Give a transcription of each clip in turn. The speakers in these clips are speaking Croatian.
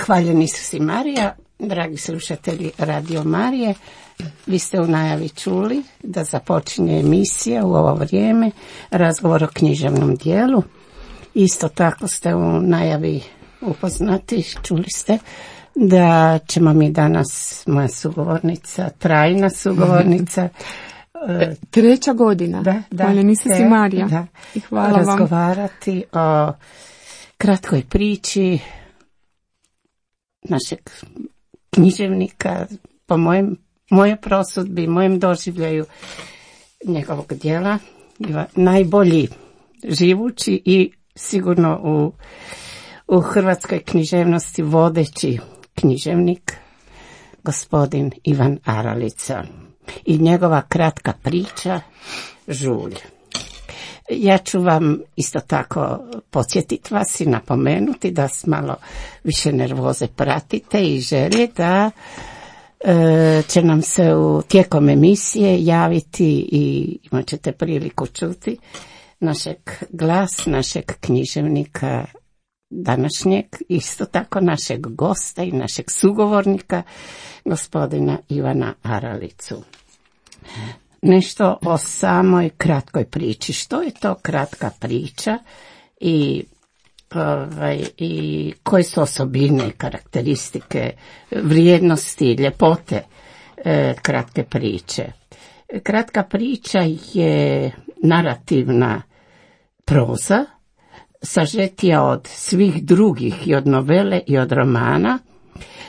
Hvaljen Isus i Marija, dragi slušatelji Radio Marije, vi ste u najavi čuli da započinje emisija u ovo vrijeme, razgovor o književnom dijelu. Isto tako ste u najavi upoznati, čuli ste da ćemo mi danas, moja sugovornica, trajna sugovornica, treća godina, Hvaljen Isus i Marija, i hvala razgovarati o kratkoj priči našeg književnika, po moje prosudbi, mojem doživljaju njegovog djela, najbolji živući i sigurno u hrvatskoj književnosti vodeći književnik, gospodin Ivan Aralica i njegova kratka priča Žulj. Ja ću vam isto tako podsjetiti vas i napomenuti da s malo više nervoze pratite i želje da će nam se tijekom emisije javiti i imat ćete priliku čuti glas našeg književnika današnjeg, isto tako našeg gosta i našeg sugovornika, gospodina Ivana Aralicu. Nešto o samoj kratkoj priči. Što je to kratka priča i koje su osobine, karakteristike, vrijednosti, ljepote kratke priče? Kratka priča je narativna proza, sažetija od svih drugih i od novele i od romana,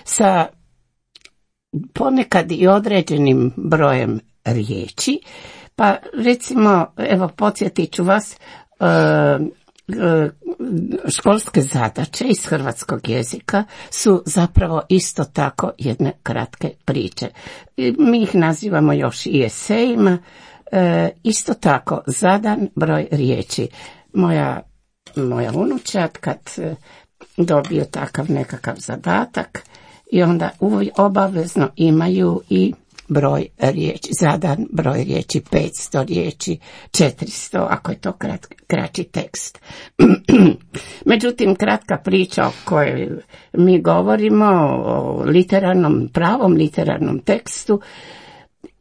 sa ponekad i određenim brojem riječi. Pa recimo, evo podsjetit ću vas, školske zadaće iz hrvatskog jezika su zapravo isto tako jedne kratke priče. Mi ih nazivamo još i esejima, isto tako zadan broj riječi. Moja unučad kad dobiju takav nekakav zadatak i onda obavezno imaju i broj riječi, zadan broj riječi, 500 riječi, 400, ako je to kraći tekst. Međutim, kratka priča o kojoj mi govorimo, o pravom literarnom tekstu,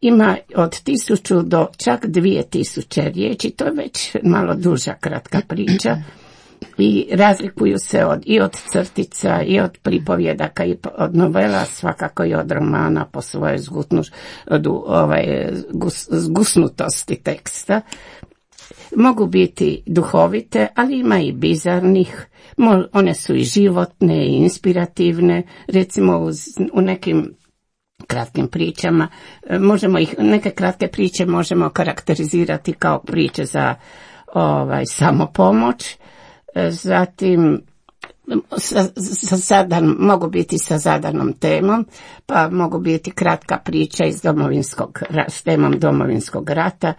ima od 1000 do čak 2000 riječi, to je već malo duža kratka priča. I razlikuju se i od crtica, i od pripovjedaka, i od novela, svakako i od romana po svojoj zgusnutosti teksta. Mogu biti duhovite, ali ima i bizarnih, one su i životne i inspirativne, recimo u nekim kratkim pričama, neke kratke priče možemo karakterizirati kao priče za samopomoć. Zatim mogu biti sa zadanom temom, pa mogu biti kratka priča s temom Domovinskog rata,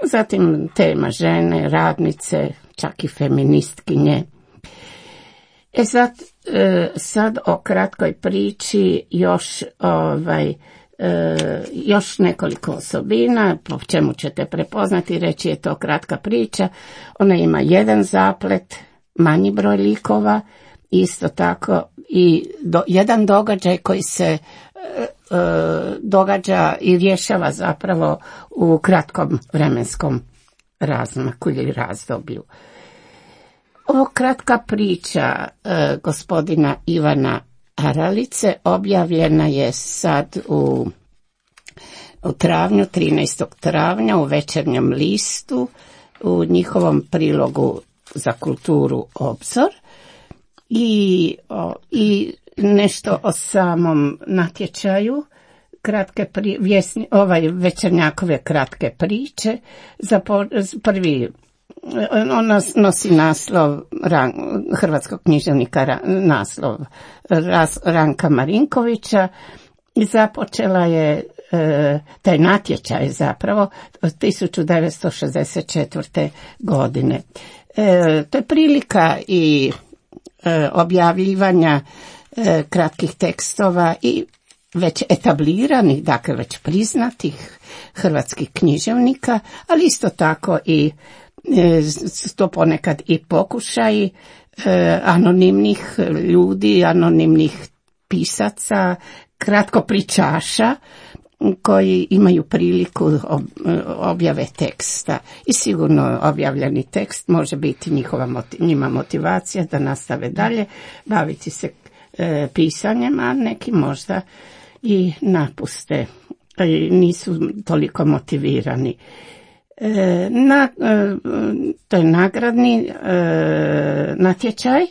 zatim tema žene, radnice, čak i feministkinje. Sad o kratkoj priči još nekoliko osobina, po čemu ćete prepoznati, reći je to kratka priča. Ona ima jedan zaplet, manji broj likova, isto tako i jedan događaj koji se događa i rješava zapravo u kratkom vremenskom razmaku ili razdoblju. Ovo kratka priča gospodina Ivana Aralice objavljena je sad u travnju, 13. travnja u Večernjem listu, u njihovom prilogu za kulturu Obzor i nešto o samom natječaju Večernjakove kratke priče. Prvi ona nosi naslov hrvatskog književnika, naslov Ranka Marinkovića i započela je taj natječaj zapravo 1964. godine. To je prilika i objavljivanja kratkih tekstova i već etabliranih, dakle već priznatih hrvatskih književnika, ali isto tako i to ponekad i pokušaji anonimnih ljudi, anonimnih pisaca, kratkopričaša koji imaju priliku objave teksta. I sigurno objavljeni tekst može biti njima motivacija da nastave dalje baviti se pisanjem, a neki možda i napuste, nisu toliko motivirani. To je nagradni natječaj,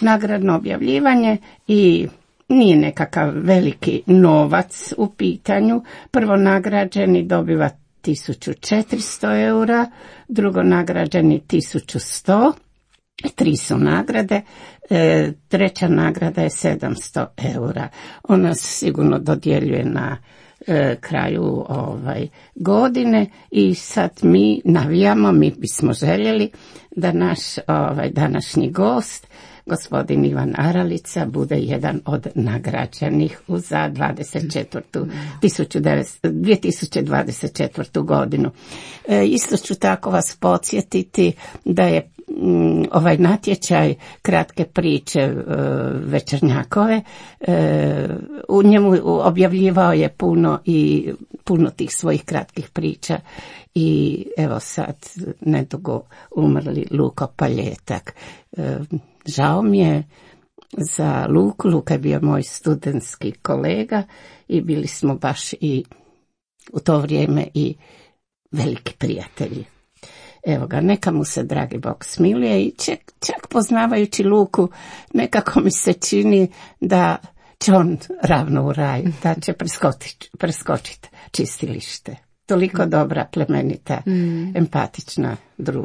nagradno objavljivanje i nije nekakav veliki novac u pitanju. Prvo nagrađeni dobiva 1400 eura, drugo nagrađeni 1100, 3 su nagrade, treća nagrada je 700 eura. Ona se sigurno dodjeljuje na kraju godine i sad mi navijamo, mi bismo željeli da naš današnji gost, gospodin Ivan Aralica, bude jedan od nagrađenih za 2024. godinu. Isto ću tako vas podsjetiti da je ovaj natječaj kratke priče Večernjakove, u njemu objavljivao je puno tih svojih kratkih priča i evo sad nedugo umrli Luko Paljetak. Žao mi je za Luku. Luka je bio moj studentski kolega i bili smo baš i u to vrijeme i veliki prijatelji. Evo ga, neka mu se dragi Bog smiluje i čak poznavajući Luku nekako mi se čini da će on ravno u raj, da će preskočiti čistilište. Toliko dobra, plemenita, empatična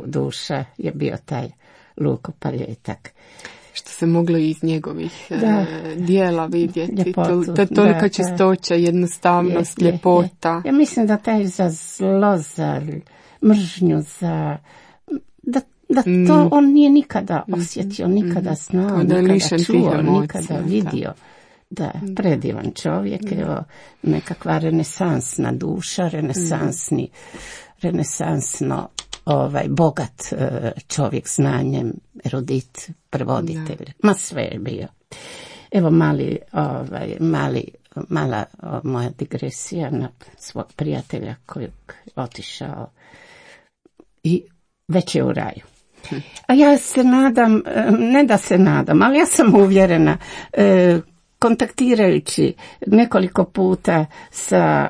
duša je bio taj Luko Paljetak. Što se moglo iz njegovih dijela vidjeti. Tolika čistoća, jednostavnost, ljepota. Ja mislim da taj za zlo, za mržnju, da to on nije nikada osjetio, nikada znao, nikada čuo, nikada vidio. Da, predivan čovjek, evo, nekakva renesansna duša, renesansno bogat čovjek znanjem, erudit, prevoditelj, ma sve je bio. Evo mala moja digresija na svog prijatelja kojeg otišao i već je u raju. A ja se nadam, ne da se nadam, ali ja sam uvjerena, kontaktirajući nekoliko puta sa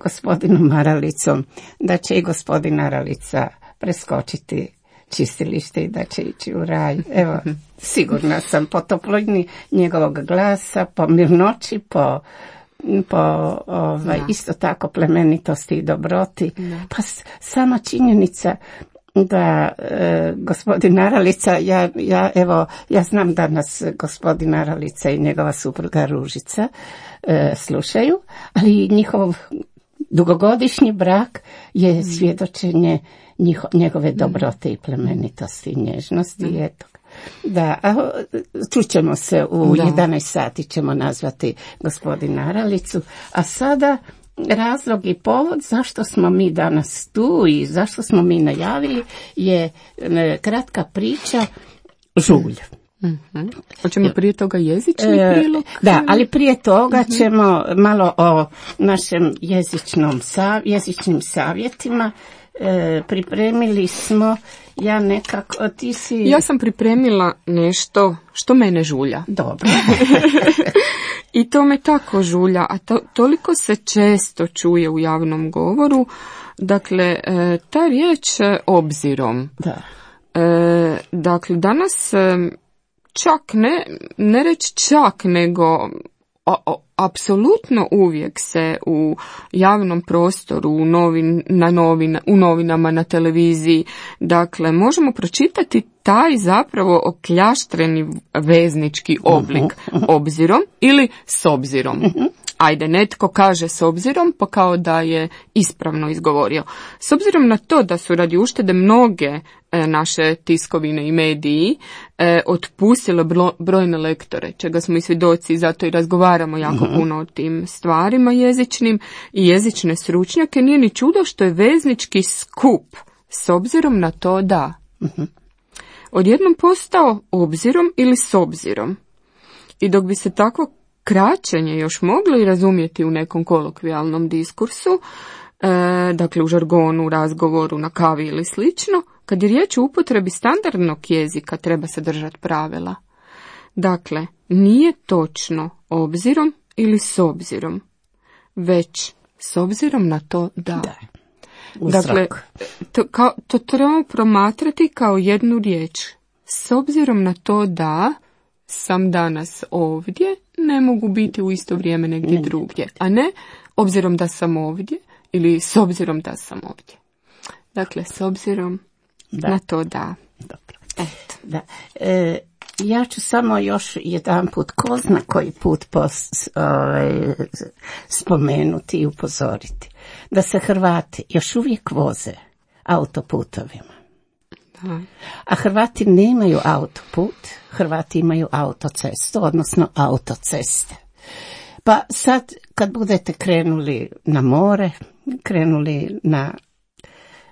gospodinom Aralicom, da će i gospodin Aralica preskočiti čistilište i da će ići u raj. Evo, sigurna sam po toplini njegovog glasa, po mirnoći, po isto tako plemenitosti i dobroti. Pa sama činjenica da gospodin Aralica, ja znam da nas gospodin Aralica i njegova supruga Ružica slušaju, ali njihov dugogodišnji brak je svjedočenje njegove dobrote i plemenitosti i nježnosti. Eto. Da, čućemo se u 11 sati, ćemo nazvati gospodina Aralicu, a sada razlog i povod zašto smo mi danas tu i zašto smo mi najavili je kratka priča Žulj. Hoćemo prije toga jezični prilog? Da, ali prije toga ćemo malo o našem jezičnim savjetima. Pripremili smo, Ja sam pripremila nešto što mene žulja. Dobro. I to me tako žulja, a toliko se često čuje u javnom govoru. Dakle, ta riječ obzirom. Da. Dakle, danas čak ne reći čak, nego apsolutno uvijek se u javnom prostoru, u novinama, na televiziji, dakle, možemo pročitati taj zapravo okljaštreni veznički oblik obzirom ili s obzirom. Ajde, netko kaže s obzirom, pa kao da je ispravno izgovorio. S obzirom na to da su radi uštede mnoge naše tiskovine i mediji otpustile brojne lektore, čega smo i svjedoci, zato i razgovaramo jako puno o tim stvarima jezičnim i jezične stručnjake, nije ni čudo što je veznički skup s obzirom na to da. odjednom postao obzirom ili s obzirom. I dok bi se takvo kraćenje još moglo i razumjeti u nekom kolokvijalnom diskursu, dakle u žargonu, u razgovoru, na kavi ili slično, kad je riječ o upotrebi standardnog jezika treba se držati pravila. Dakle, nije točno obzirom ili s obzirom, već s obzirom na to da. Dakle, to trebamo promatrati kao jednu riječ. S obzirom na to da sam danas ovdje, ne mogu biti u isto vrijeme negdje drugdje, a ne obzirom da sam ovdje ili s obzirom da sam ovdje. Dakle, s obzirom na to da. Dobro. Eto. Da. Ja ću samo još jedan put, ko zna koji put spomenuti i upozoriti, da se Hrvati još uvijek voze autoputovima. A Hrvati nemaju autoput, Hrvati imaju autocestu, odnosno autoceste. Pa sad kad budete krenuli na more, krenuli na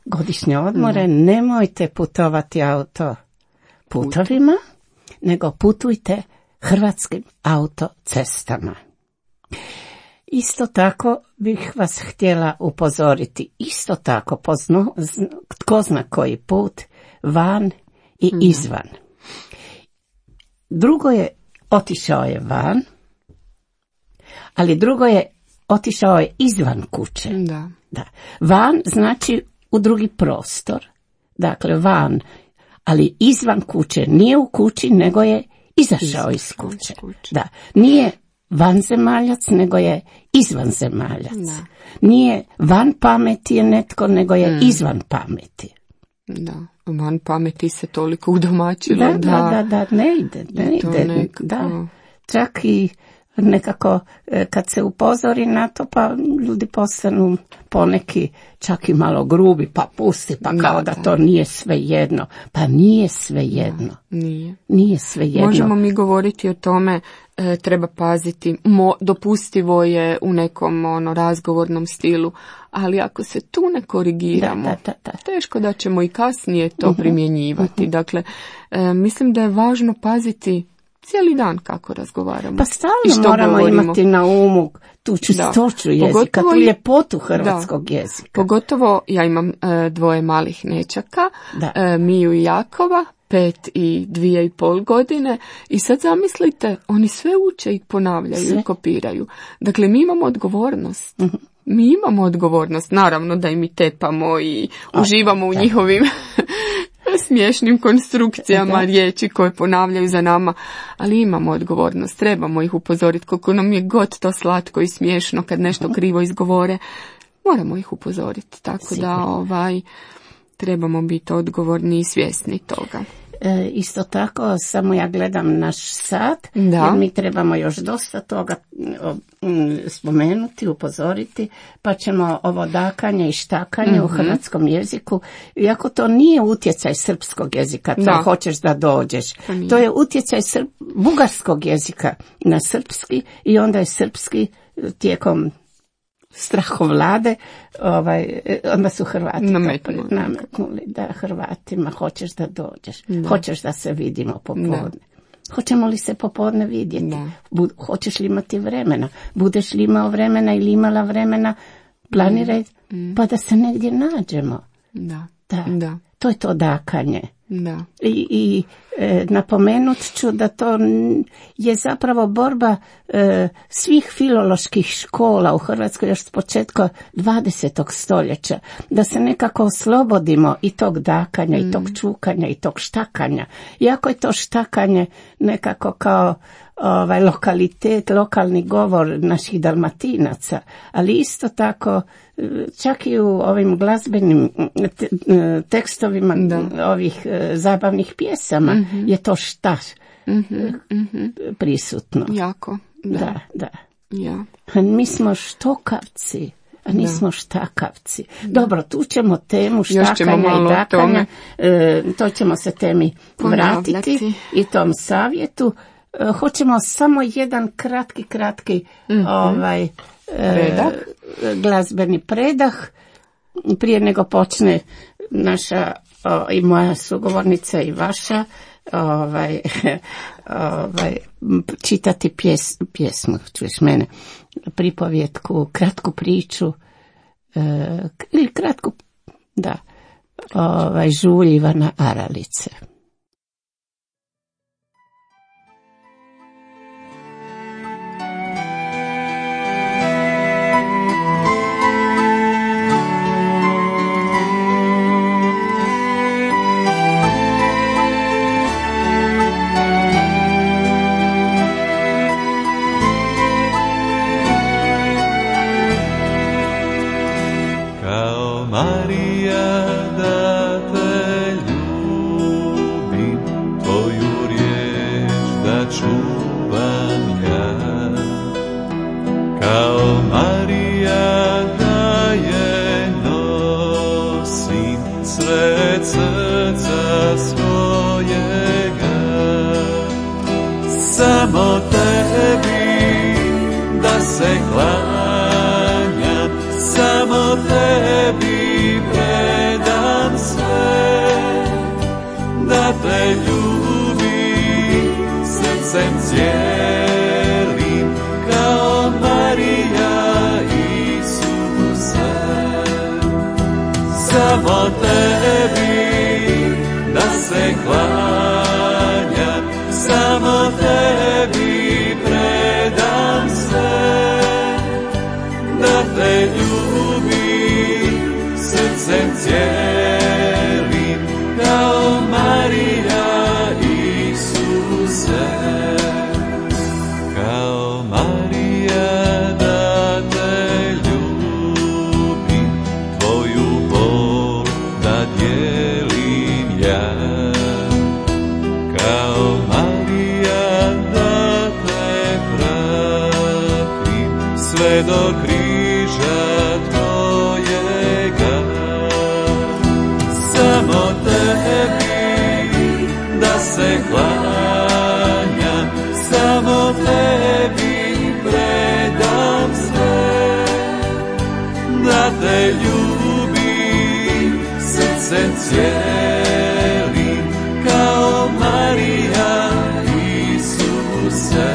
godišnje odmore, nemojte putovati autoputovima, nego putujte hrvatskim autocestama. Isto tako bih vas htjela upozoriti, isto tako tko zna koji put, van i izvan. Drugo je otišao je van, ali drugo je otišao je izvan kuće. Da. Van znači u drugi prostor, dakle van, ali izvan kuće, nije u kući, nego je izašao iz kuće. Da. Nije vanzemaljac, nego je izvanzemaljac. Da. Nije van pameti je netko, nego je izvan pameti. Da, van pameti se toliko udomačilo da ne ide. Nekako... Da, čak i nekako kad se upozori na to, pa ljudi postanu poneki čak i malo grubi, pa pusti, pa kao da to nije svejedno. Pa nije svejedno. Nije svejedno. Možemo mi govoriti o tome, treba paziti, dopustivo je u nekom razgovornom stilu, ali ako se tu ne korigiramo, teško da ćemo i kasnije to primjenjivati. Dakle, mislim da je važno paziti cijeli dan kako razgovaramo. Pa stalno moramo imati na umu tu čistoću jezika, tu ljepotu hrvatskog jezika. Pogotovo ja imam 2 malih nećaka, Miju i Jakova, 5 i 2,5 godine, i sad zamislite, oni sve uče i ponavljaju i kopiraju. Dakle, mi imamo odgovornost. Mi imamo odgovornost, naravno da im i tepamo i uživamo u njihovim smiješnim konstrukcijama riječi koje ponavljaju za nama, ali imamo odgovornost, trebamo ih upozoriti, koliko nam je god to slatko i smiješno kad nešto krivo izgovore, moramo ih upozoriti, tako da trebamo biti odgovorni i svjesni toga. Isto tako, samo ja gledam naš sat, jer mi trebamo još dosta toga spomenuti, upozoriti, pa ćemo ovo dakanje i štakanje u hrvatskom jeziku, iako to nije utjecaj srpskog jezika, to hoćeš da dođeš. To je utjecaj bugarskog jezika na srpski, i onda je srpski tijekom strahovlade, onda su Hrvati nametnuli da Hrvatima hoćeš da dođeš, hoćeš da se vidimo popodne. Hoćemo li se popodne vidjeti? Hoćeš li imati vremena? Budeš li imao vremena ili imala vremena? Planiraj pa da se negdje nađemo. Da. To je to dakanje. I napomenut ću da to je zapravo borba svih filoloških škola u Hrvatskoj još s početka 20. stoljeća, da se nekako oslobodimo i tog dakanja, i tog čukanja, i tog štakanja. Iako je to štakanje nekako kao lokalitet, lokalni govor naših Dalmatinaca, ali isto tako čak i u ovim glazbenim tekstovima ovih zabavnih pjesama je to prisutno. Jako. Da. Mi smo štokavci, a nismo štakavci. Dobro, tu ćemo temu štakanja i dakanja, to ćemo se temi vratiti i tom savjetu. Hoćemo samo jedan kratki glazbeni predah prije nego počne naša i moja sugovornica i vaša čitati pjesmu, čuješ mene, pripovjetku, kratku priču, ili kratku, da, Žulj Ivana Aralice. Samo tebi da se klanjam, samo tebi predam sve, da te ljubim srcem cijelim, kao Marija Isuse. Samo tebi da se klanjam, samo tebi predam sve, da te ljubim srcem cijelim, kao Marija Isuse. Kao Marija da te ljubim, tvoju bol da dijelim ja. Kao Marija da te pratim, sve do križa tvojega. Samo tebi da se klanjam, samo tebi predam sve, da te ljubim srcem cijelim, kao Marija Isuse.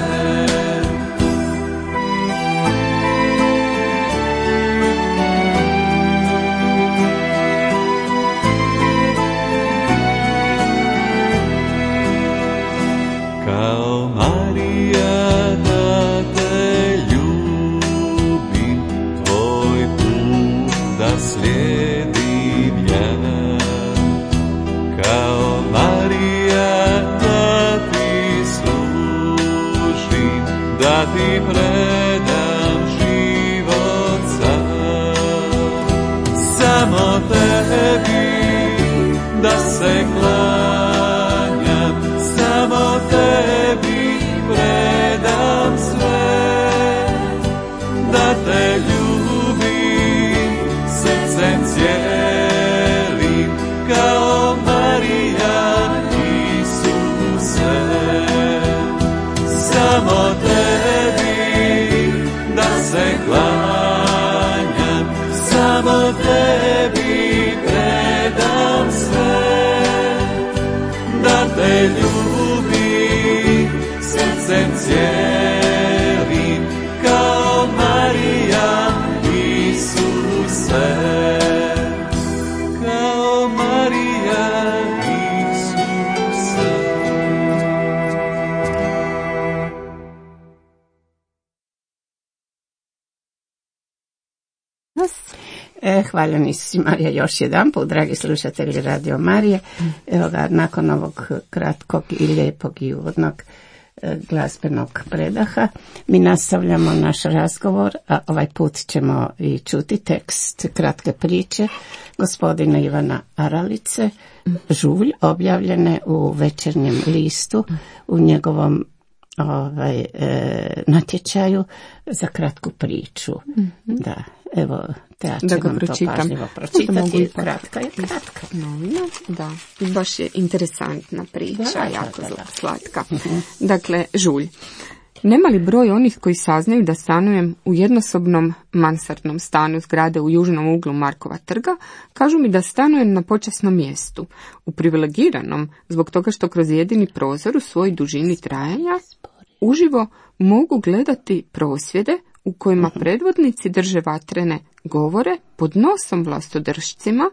Kao Marija da te ljubim, tvoj put da slijedim ja. Kao Marija da ti služim, da ti predam život sam. Samo tebi da se klanjam, samo tebi predam sve, da te ljubim srcem cijelim, kao Marija Isuse. Samo tebi da se klanjam, samo tebi predam sve, da te ljubim srcem cijelim, kao Marija Isuse. Kao Marija Isuse. Hvala Isusi Marija još jedan put, dragi slušatelji Radio Marije. Evo ga, nakon ovog kratkog i lijepog i uvodnog glazbenog predaha mi nastavljamo naš razgovor, a ovaj put ćemo i čuti tekst kratke priče gospodina Ivana Aralice, Žulj, objavljene u Večernjem listu u njegovom natječaju za kratku priču. Da, evo, ja ću vam to pažljivo pročitati. Kratka je kratka. Da, baš je interesantna priča, jako slatka. Dakle, Žulj. Nema li broj onih koji saznaju da stanujem u jednosobnom mansardnom stanu zgrade u južnom uglu Markova trga, kažu mi da stanujem na počasnom mjestu, u privilegiranom, zbog toga što kroz jedini prozor u svojoj dužini trajanja uživo mogu gledati prosvjede u kojima predvodnici drže vatrene govore pod nosom vlastodržcima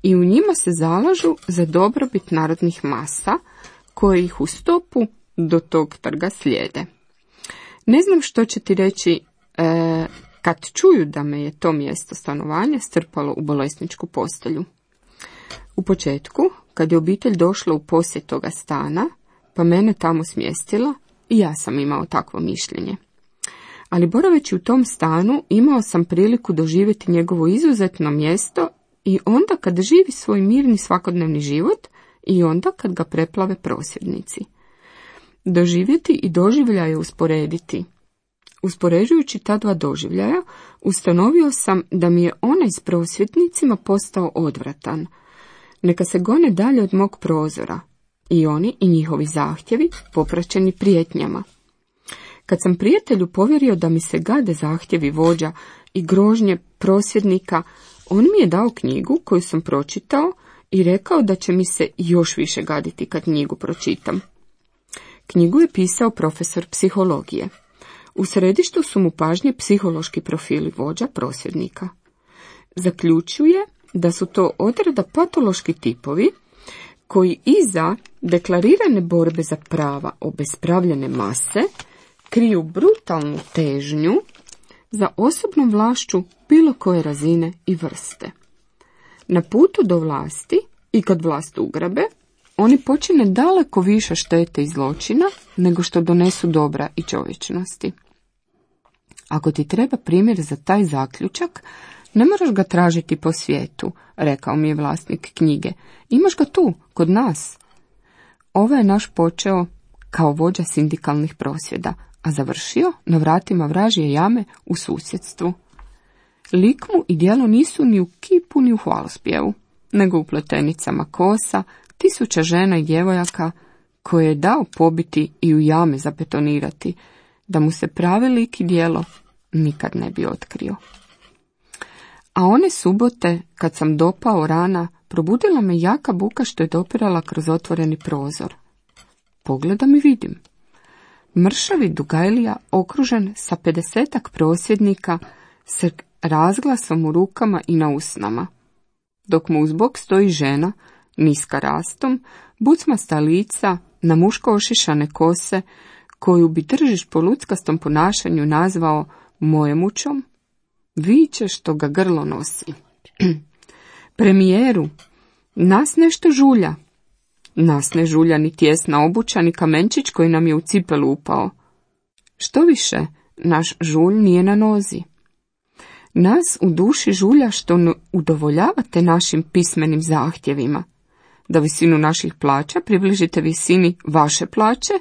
i u njima se zalažu za dobrobit narodnih masa koje ih u stopu do tog trga slijede. Ne znam što će ti reći kad čuju da me je to mjesto stanovanja strpalo u bolesničku postelju. U početku, kad je obitelj došla u posjet toga stana, pa mene tamo smjestila, i ja sam imao takvo mišljenje. Ali boraveći u tom stanu, imao sam priliku doživjeti njegovo izuzetno mjesto i onda kad živi svoj mirni svakodnevni život i onda kad ga preplave prosvjednici. Doživjeti i doživljaje usporediti. Uspoređujući ta dva doživljaja, ustanovio sam da mi je onaj s prosvjetnicima postao odvratan. Neka se gone dalje od mog prozora, i oni i njihovi zahtjevi popraćeni prijetnjama. Kad sam prijatelju povjerio da mi se gade zahtjevi vođa i grožnje prosvjednika, on mi je dao knjigu koju sam pročitao i rekao da će mi se još više gaditi kad knjigu pročitam. Knjigu je pisao profesor psihologije. U središtu su mu pažnje psihološki profili vođa prosvjednika. Zaključuje da su to odreda patološki tipovi koji iza deklarirane borbe za prava obespravljene mase kriju brutalnu težnju za osobnom vlašću bilo koje razine i vrste. Na putu do vlasti i kad vlast ugrabe, oni počine daleko više štete i zločina nego što donesu dobra i čovječnosti. Ako ti treba primjer za taj zaključak, ne moraš ga tražiti po svijetu, rekao mi je vlasnik knjige. Imaš ga tu, kod nas. Ovo je naš počeo kao vođa sindikalnih prosvjeda, a završio na vratima vražje jame u susjedstvu. Lik mu i djelo nisu ni u kipu ni u hvalospjevu, nego u pletenicama kosa, 1000 žena i djevojaka koje je dao pobiti i u jame zabetonirati, da mu se pravi lik i djelo nikad ne bi otkrio. A one subote, kad sam dopao rana, probudila me jaka buka što je dopirala kroz otvoreni prozor. Pogledam i vidim. Mršavi Dugajlija okružen sa 50-ak prosvjednika s razglasom u rukama i na usnama, dok mu uzbok stoji žena, niska rastom, bucmasta lica, na muško ošišane kose, koju bi držiš po luckastom ponašanju nazvao mojemućom, viče što ga grlo nosi. Premijeru, nas nešto žulja. Nas ne žulja ni tjesna obuća, ni kamenčić koji nam je u cipelu upao. Što više, naš žulj nije na nozi. Nas u duši žulja što ne udovoljavate našim pismenim zahtjevima, da visinu naših plaća približite visini vaše plaće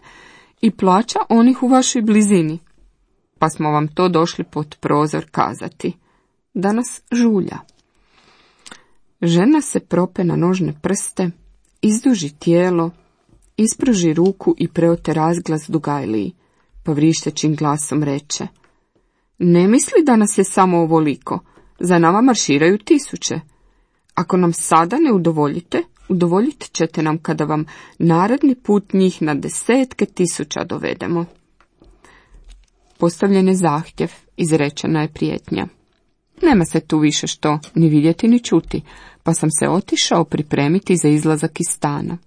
i plaća onih u vašoj blizini. Pa smo vam to došli pod prozor kazati, da nas žulja. Žena se prope na nožne prste, izduži tijelo, ispruži ruku i preote razglas Dugajliji, pa vrištećim glasom reče, ne misli da nas je samo ovoliko, za nama marširaju 1000. Ako nam sada ne udovoljite, udovoljit ćete nam kada vam naredni put njih na 10.000 dovedemo. Postavljen je zahtjev, izrečena je prijetnja. Nema se tu više što ni vidjeti ni čuti, pa sam se otišao pripremiti za izlazak iz stana.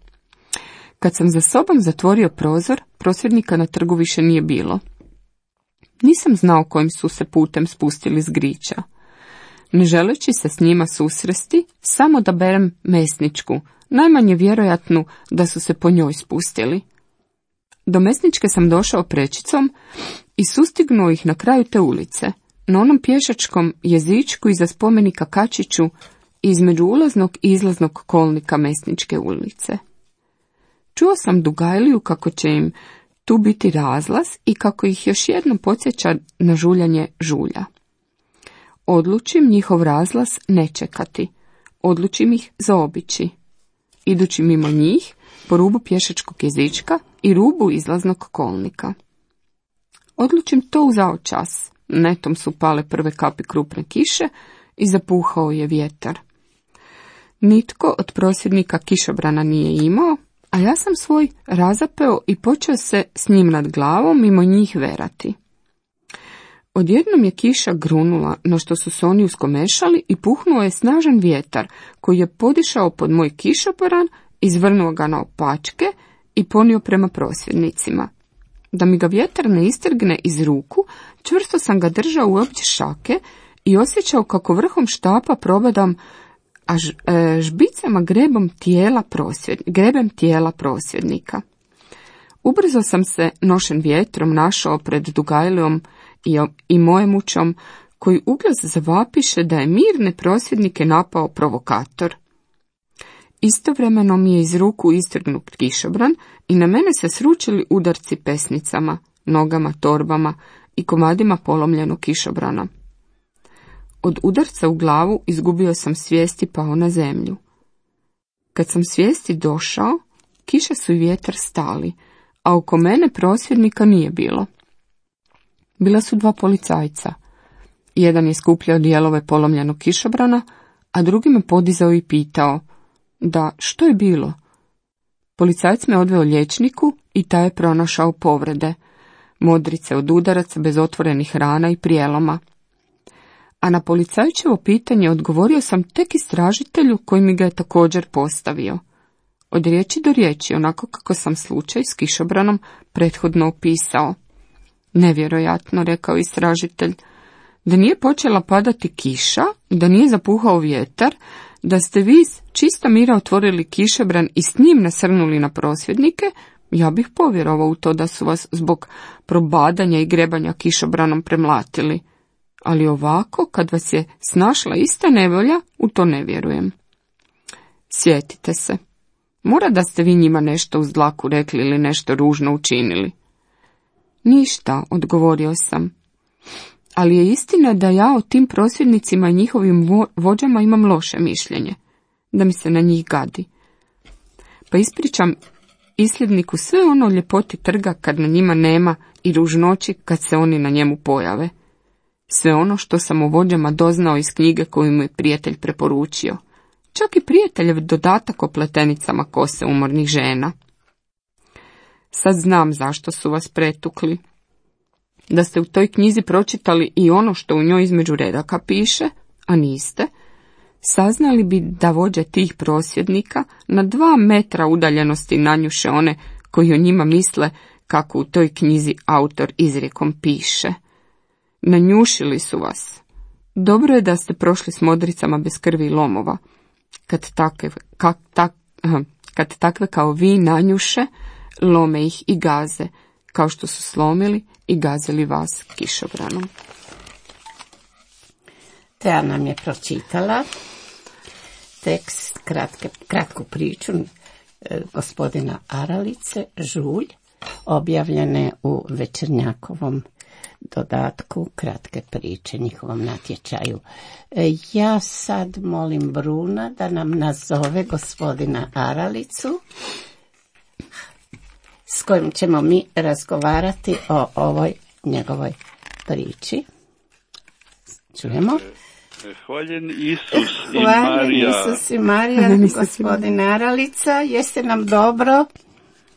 Kad sam za sobom zatvorio prozor, prosvjednika na trgu više nije bilo. Nisam znao kojim su se putem spustili s griča. Ne želeći se s njima susresti, samo da berem mesničku, najmanje vjerojatnu da su se po njoj spustili. Do mesničke sam došao prečicom i sustignuo ih na kraju te ulice, na onom pješačkom jezičku iza spomenika Kačiću, između ulaznog i izlaznog kolnika mesničke ulice. Čuo sam Dugajliju kako će im tu biti razlaz i kako ih još jednom podsjeća na žuljanje žulja. Odlučim njihov razlaz ne čekati, odlučim ih zaobići. Idući mimo njih, po rubu pješačkog jezička i rubu izlaznog kolnika. odlučim to u zaočas. Netom su pale prve kapi krupne kiše i zapuhao je vjetar. Nitko od prosvjednika kišobrana nije imao, a ja sam svoj razapeo i počeo se s njim nad glavom mimo njih verati. Odjednom je kiša grunula, na što su se oni uskomešali i puhnuo je snažan vjetar, koji je podišao pod moj kišobran, izvrnuo ga naopačke i ponio prema prosvjednicima. Da mi ga vjetar ne istrgne iz ruku, čvrsto sam ga držao u obje šake i osjećao kako vrhom štapa probadam, a žbicama grebem tijela prosvjednika. Ubrzo sam se, nošen vjetrom, našao pred Dugajlijom i Mojemućom, koji uglas zavapiše da je mirne prosvjednike napao provokator. Istovremeno mi je iz ruku istrgnut kišobran i na mene se sručili udarci pesnicama, nogama, torbama i komadima polomljenog kišobrana. Od udarca u glavu izgubio sam svijest i pao na zemlju. Kad sam svijesti došao, kiša su i vjetar stali, a oko mene prosvjednika nije bilo. Bila su dva policajca. Jedan je skupljao dijelove polomljenog kišobrana, a drugi me podizao i pitao: da, što je bilo? Policajac me odveo liječniku i taj je pronašao povrede, modrice od udaraca bez otvorenih rana i prijeloma. A na policajčevo pitanje odgovorio sam tek istražitelju koji mi ga je također postavio. Od riječi do riječi, onako kako sam slučaj s kišobranom prethodno opisao. Nevjerojatno, rekao istražitelj, da nije počela padati kiša, da nije zapuhao vjetar, da ste vi čista mira otvorili kišobran i s njim nasrnuli na prosvjednike, ja bih povjerovao u to da su vas zbog probadanja i grebanja kišobranom premlatili. Ali ovako, kad vas je snašla ista nevolja, u to ne vjerujem. Sjetite se, mora da ste vi njima nešto uz dlaku rekli ili nešto ružno učinili. Ništa, odgovorio sam. Ali je istina da ja o tim prosvjednicima i njihovim vođama imam loše mišljenje, da mi se na njih gadi. Pa ispričam isljedniku sve ono ljepoti trga kad na njima nema i ružnoći kad se oni na njemu pojave. Sve ono što sam o vođama doznao iz knjige koju mu je prijatelj preporučio. Čak i prijateljev dodatak o pletenicama kose umornih žena. Sad znam zašto su vas pretukli. Da ste u toj knjizi pročitali i ono što u njoj između redaka piše, a niste, saznali bi da vođe tih prosvjednika na 2 metra udaljenosti nanjuše one koji o njima misle kako u toj knjizi autor izrijekom piše. Nanjušili su vas. Dobro je da ste prošli s modricama bez krvi i lomova. Kad takve kao vi nanjuše, lome ih i gaze, kao što su slomili i gazili vas kišobranom. Tea nam je pročitala tekst, kratku priču gospodina Aralice, Žulj, objavljene u Večernjakovom dodatku kratke priče, njihovom natječaju. Ja sad molim Bruna da nam nazove gospodina Aralicu, s kojim ćemo mi razgovarati o ovoj njegovoj priči. Čujemo? Hvaljen Isus i Hvaljen Marija. Isus i Marija, gospodin Aralica, jeste nam dobro?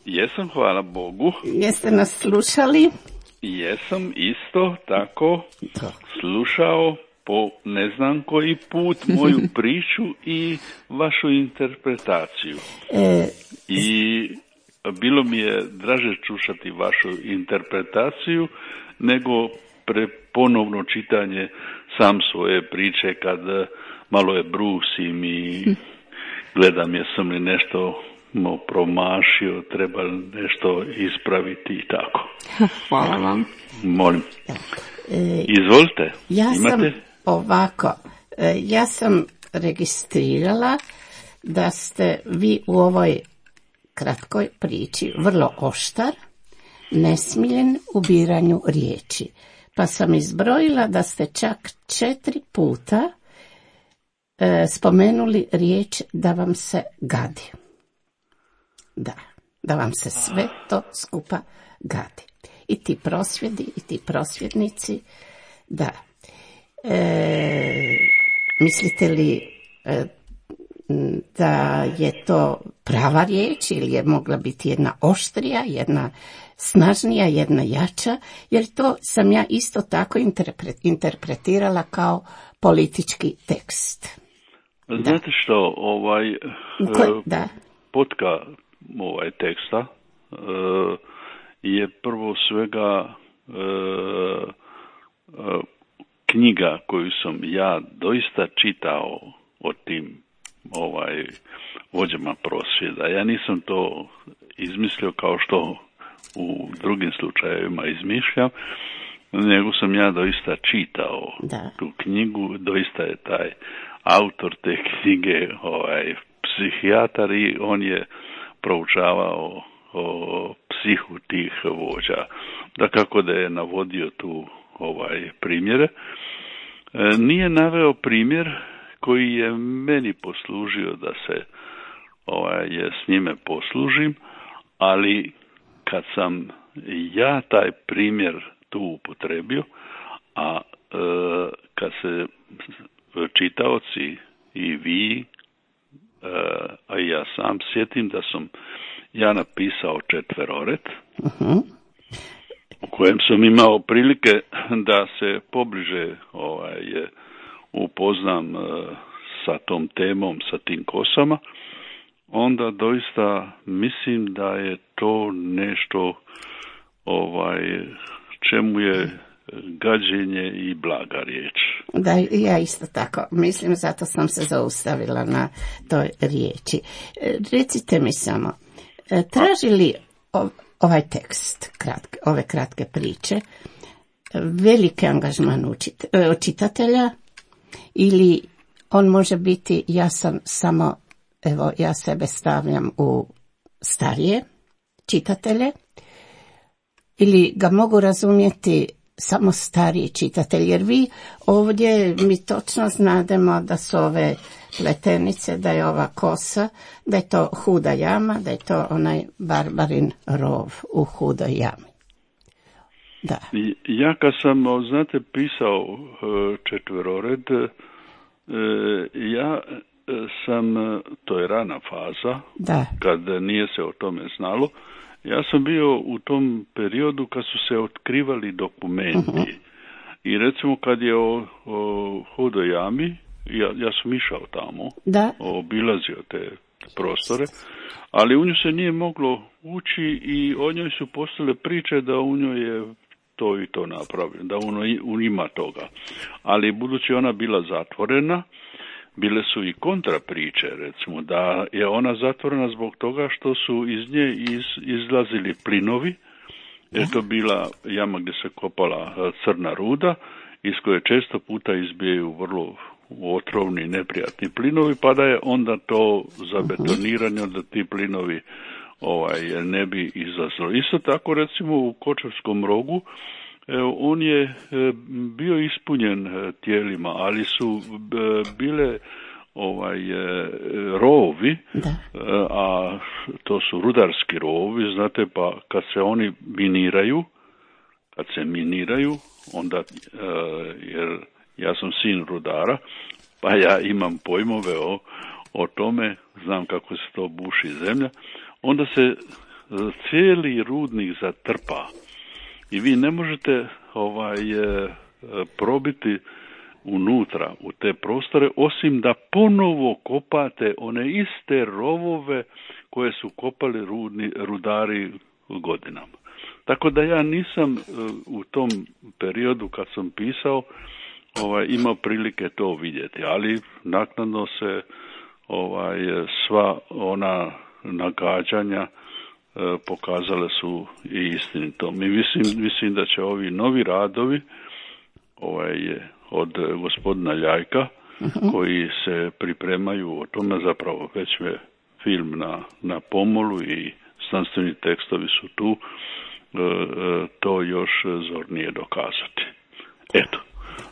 Jesam, hvala Bogu. Jeste nas slušali? Jesam isto tako slušao po ne znam koji put moju priču i vašu interpretaciju. I bilo mi je draže slušati vašu interpretaciju nego ponovno čitanje sam svoje priče kad malo je brusim i gledam jesam li nešto promašio, treba nešto ispraviti i tako. Hvala vam. Molim. Izvolite. Ja sam registrirala da ste vi u ovoj kratkoj priči vrlo oštar, nesmiljen u biranju riječi. Pa sam izbrojila da ste čak 4 puta spomenuli riječ da vam se gadi. Da vam se sve to skupa gadi. i ti prosvjedi i ti prosvjednici. Da. Mislite li da je to prava riječ ili je mogla biti jedna oštrija, jedna snažnija, jedna jača, jer to sam ja isto tako interpretirala kao politički tekst. Znate što, Da. potka teksta je prvo svega knjiga koju sam ja doista čitao o tim vođama prosvjeda. Ja nisam to izmislio kao što u drugim slučajevima izmišljam, nego sam ja doista čitao tu knjigu, doista je taj autor te knjige psihijatar i on je proučavao o psihu tih vođa. Dakako da je navodio tu primjere. Nije naveo primjer koji je meni poslužio da se s njime poslužim, ali kad sam ja taj primjer tu upotrebio, a kad se čitaoci i vi, a i ja sam sjetim da sam ja napisao četverored, u kojem sam imao prilike da se pobliže upoznam sa tom temom, sa tim kosama, onda doista mislim da je to nešto čemu je gađenje i blaga riječ. Da, ja isto tako mislim, zato sam se zaustavila na toj riječi. Recite mi samo, traži li ovaj tekst, ove kratke priče, veliki angažman čitatelja ili on može biti jasan samo, evo ja sebe stavljam u starije čitatelje, ili ga mogu razumjeti samo stariji čitatelj, jer vi ovdje mi točno znademo da su ove pletenice, da je ova kosa, da je to huda jama, da je to onaj barbarin rov u hudoj jami. Da. Ja kad sam, znate, pisao četverored, ja sam, to je rana faza, kad nije se o tome znalo, ja sam bio u tom periodu kad su se otkrivali dokumenti. I recimo kad je o hudoj jami, ja sam išao tamo, obilazio te prostore, ali u nju se nije moglo ući i o njoj su postale priče da u njoj je to i to napravljeno, da u ima toga. Ali budući ona bila zatvorena, bile su i kontra priče, recimo, da je ona zatvorena zbog toga što su iz nje izlazili plinovi, jer to bila jama gdje se kopala crna ruda, iz koje često puta izbijaju vrlo otrovni, neprijatni plinovi, pa da je onda to zabetonirano da ti plinovi ne bi izlazilo. Isto tako, recimo, u Kočevskom rogu, on je bio ispunjen tijelima, ali su bile rovovi, a to su rudarski rovovi, znate, pa kad se oni miniraju, onda, jer ja sam sin rudara, pa ja imam pojmove o tome, znam kako se to buši zemlja, onda se cijeli rudnik zatrpa i vi ne možete probiti unutra u te prostore, osim da ponovo kopate one iste rovove koje su kopali rudari godinama. Tako da ja nisam u tom periodu kad sam pisao imao prilike to vidjeti, ali naknadno se sva ona nagađanja pokazale su i istinito. Mislim da će ovi novi radovi od gospodina Ljajka, koji se pripremaju o tome, zapravo već je film na pomolu i znanstveni tekstovi su tu, to još zornije dokazati. Eto,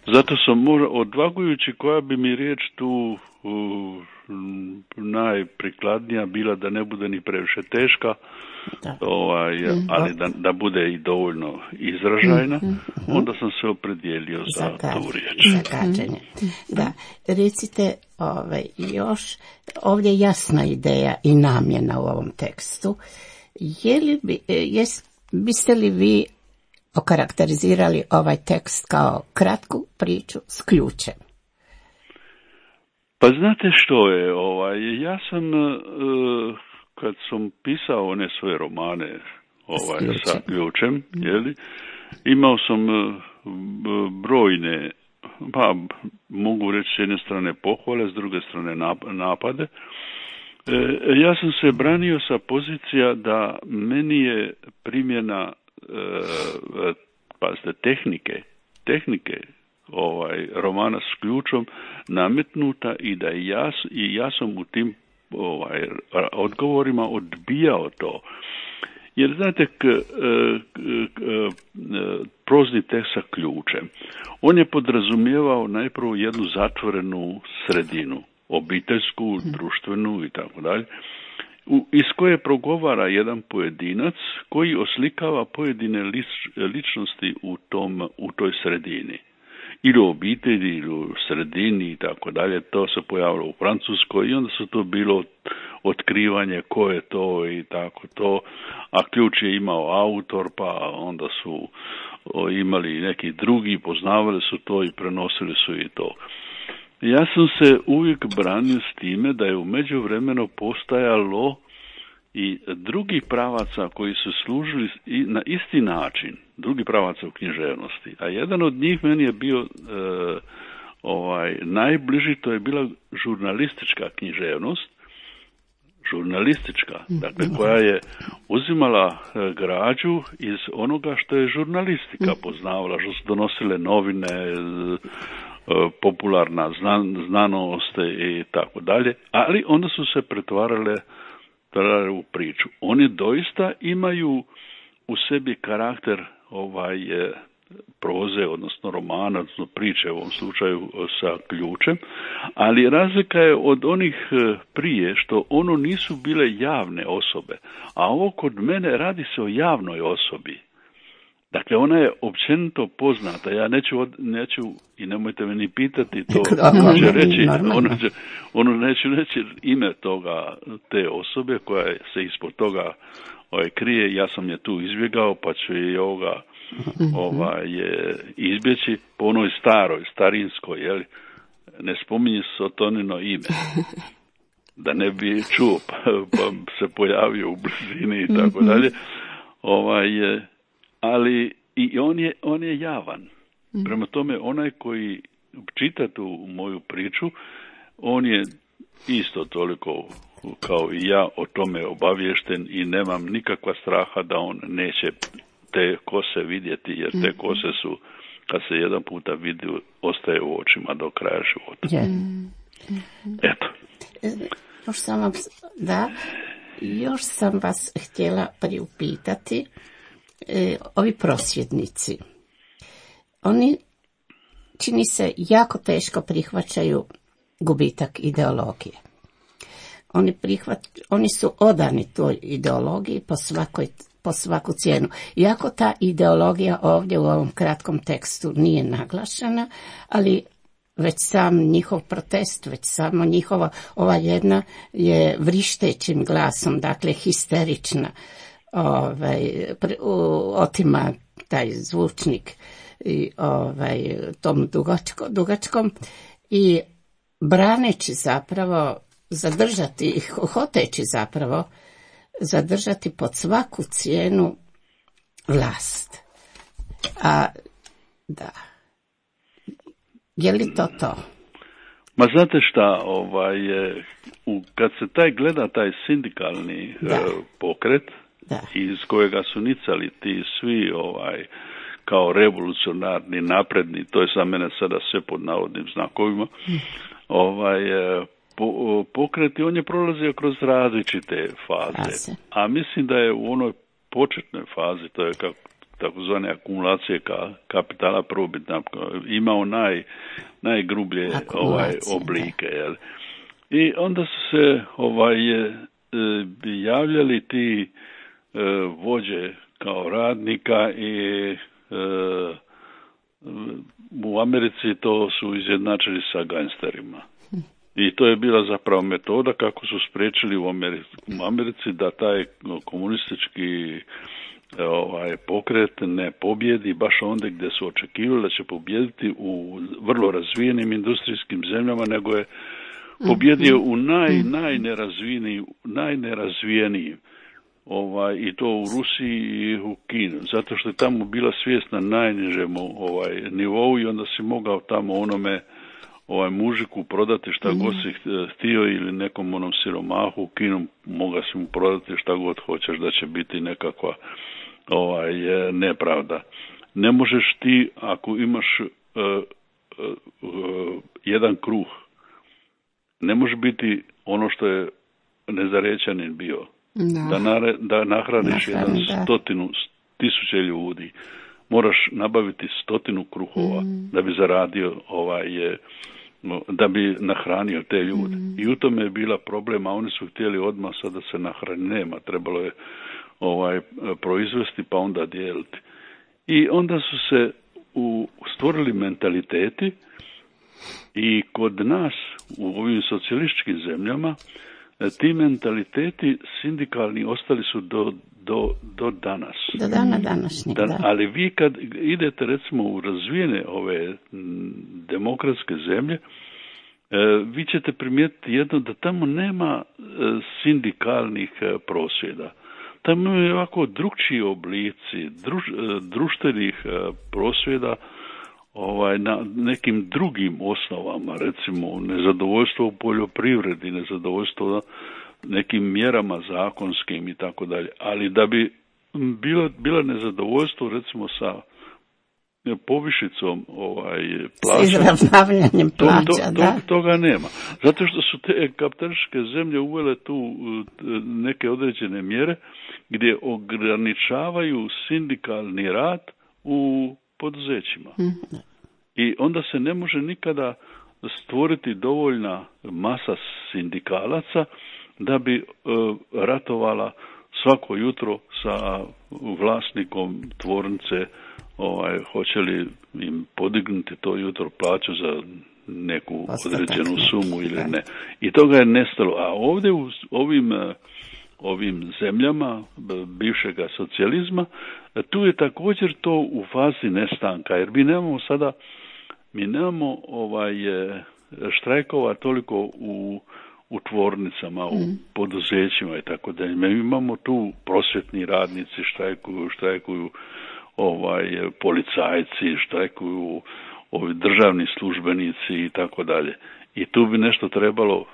zato sam odvagujući koja bi mi riječ tu najprikladnija bila da ne bude ni previše teška, ali da bude i dovoljno izražajna, onda sam se opredijelio za tu riječ. Zagađenje. Da, recite još, ovdje je jasna ideja i namjena u ovom tekstu. Biste li vi okarakterizirali ovaj tekst kao kratku priču s ključem? Pa znate što je, ja sam, kad sam pisao one svoje romane sa ključem, imao sam brojne, pa mogu reći s jedne strane pohvale, s druge strane napade. Ja sam se branio sa pozicija da meni je primjena tehnike romana s ključom nametnuta i da ja sam u tim odgovorima odbijao to. Jer znate, prozni tekst sa ključem, on je podrazumijevao najprvo jednu zatvorenu sredinu, obiteljsku, društvenu i tako dalje, iz koje progovara jedan pojedinac koji oslikava pojedine ličnosti u toj sredini. Ili u obitelji, ili u sredini i tako dalje. To se pojavilo u Francuskoj i onda su to bilo otkrivanje ko je to i tako to. A ključ je imao autor, pa onda su imali neki drugi, poznavali su to i prenosili su i to. Ja sam se uvijek branio s time da je u međuvremenu postajalo i drugi pravaca koji su služili na isti način, drugi pravaca u književnosti. A jedan od njih meni je bio najbliži, to je bila žurnalistička književnost, dakle koja je uzimala građu iz onoga što je žurnalistika poznavala, što su donosile novine, popularna znanost i tako dalje, ali onda su se pretvarale u priču. Oni doista imaju u sebi karakter proze, odnosno romana, odnosno priče u ovom slučaju sa ključem, ali razlika je od onih prije što ono nisu bile javne osobe, a ovo kod mene radi se o javnoj osobi. Dakle, ona je općenito poznata. Ja neću i nemojte me ni pitati to, neću reći ime te osobe koja se ispod toga krije. Ja sam je tu izbjegao, pa ću i izbjeći po onoj starinskoj, ne spominje Sotonino ime. Da ne bi čuo, pa se pojavio u blizini i tako dalje. Ali i on je javan. Prema tome, onaj koji čita tu moju priču, on je isto toliko kao i ja o tome obaviješten i nemam nikakva straha da on neće te kose vidjeti, jer te kose su, kad se jedan puta vidi, ostaje u očima do kraja života. Eto. Još sam vas htjela priupitati, ovi prosvjednici, oni čini se jako teško prihvaćaju gubitak ideologije. Oni su odani toj ideologiji po svaku cijenu. Iako ta ideologija ovdje u ovom kratkom tekstu nije naglašena, ali već sam njihov protest, već samo njihova, ova jedna je vrištećim glasom, dakle histerična, otima taj zvučnik i tom dugačkom i braneći zapravo hoteći zapravo zadržati pod svaku cijenu vlast. Je li to? Ma znate šta, kad se gleda taj sindikalni pokret, iz kojega su nicali ti svi kao revolucionarni, napredni, to je za mene sada sve pod navodnim znakovima, pokret i on je prolazio kroz različite faze. A mislim da je u onoj početnoj fazi, to je takozvane akumulacije kapitala prvobitna, imao najgrublje oblike. I onda su se javljali ti vođe kao radnika i u Americi to su izjednačili sa gangsterima. I to je bila zapravo metoda kako su spriječili u Americi da taj komunistički pokret ne pobjedi baš onda gdje su očekivali da će pobjediti u vrlo razvijenim industrijskim zemljama, nego je pobjedio u najnerazvijenijim. I to u Rusiji i u Kini, zato što je tamo bila svijest na najnižem nivou i onda si mogao tamo onome mužiku prodati šta god si htio ili nekom onom siromahu u Kinu mogao si mu prodati šta god hoćeš da će biti nekakva nepravda. Ne možeš ti ako imaš jedan kruh, ne može biti ono što je Nezarečanin bio. Da nahraniš 100.000 ljudi. Moraš nabaviti 100 kruhova da bi zaradio da bi nahranio te ljude. I u tome je bila problema, oni su htjeli odmah sad da se nahrani, nema, trebalo je proizvesti pa onda dijeliti. I onda su se stvorili mentaliteti i kod nas u ovim socijalističkim zemljama ti mentaliteti sindikalni ostali su do danas. Do dana današnjeg, da. Ali vi kad idete recimo u razvijene ove demokratske zemlje, vi ćete primijetiti jedno da tamo nema sindikalnih prosvjeda. Tamo je ovako drukčiji oblici društvenih prosvjeda na nekim drugim osnovama, recimo nezadovoljstvo u poljoprivredi, nezadovoljstvo nekim mjerama zakonskim i tako dalje. Ali da bi bila nezadovoljstvo recimo sa povišicom plaća, izravnavanjem plaća, toga nema. Zato što su te kapitalističke zemlje uvele tu neke određene mjere gdje ograničavaju sindikalni rad u poduzećima. I onda se ne može nikada stvoriti dovoljna masa sindikalaca da bi ratovala svako jutro sa vlasnikom tvornice, hoće li im podignuti to jutro plaću za neku određenu sumu ili ne. I toga je nestalo. A ovdje u ovim zemljama bivšega socijalizma, tu je također to u fazi nestanka, jer mi nemamo štrajkova toliko u tvornicama, u poduzećima i tako dalje. Mi imamo tu prosvjetni radnici štrajkuju policajci, štrajkuju ovi državni službenici i tako dalje. I tu bi nešto trebalo,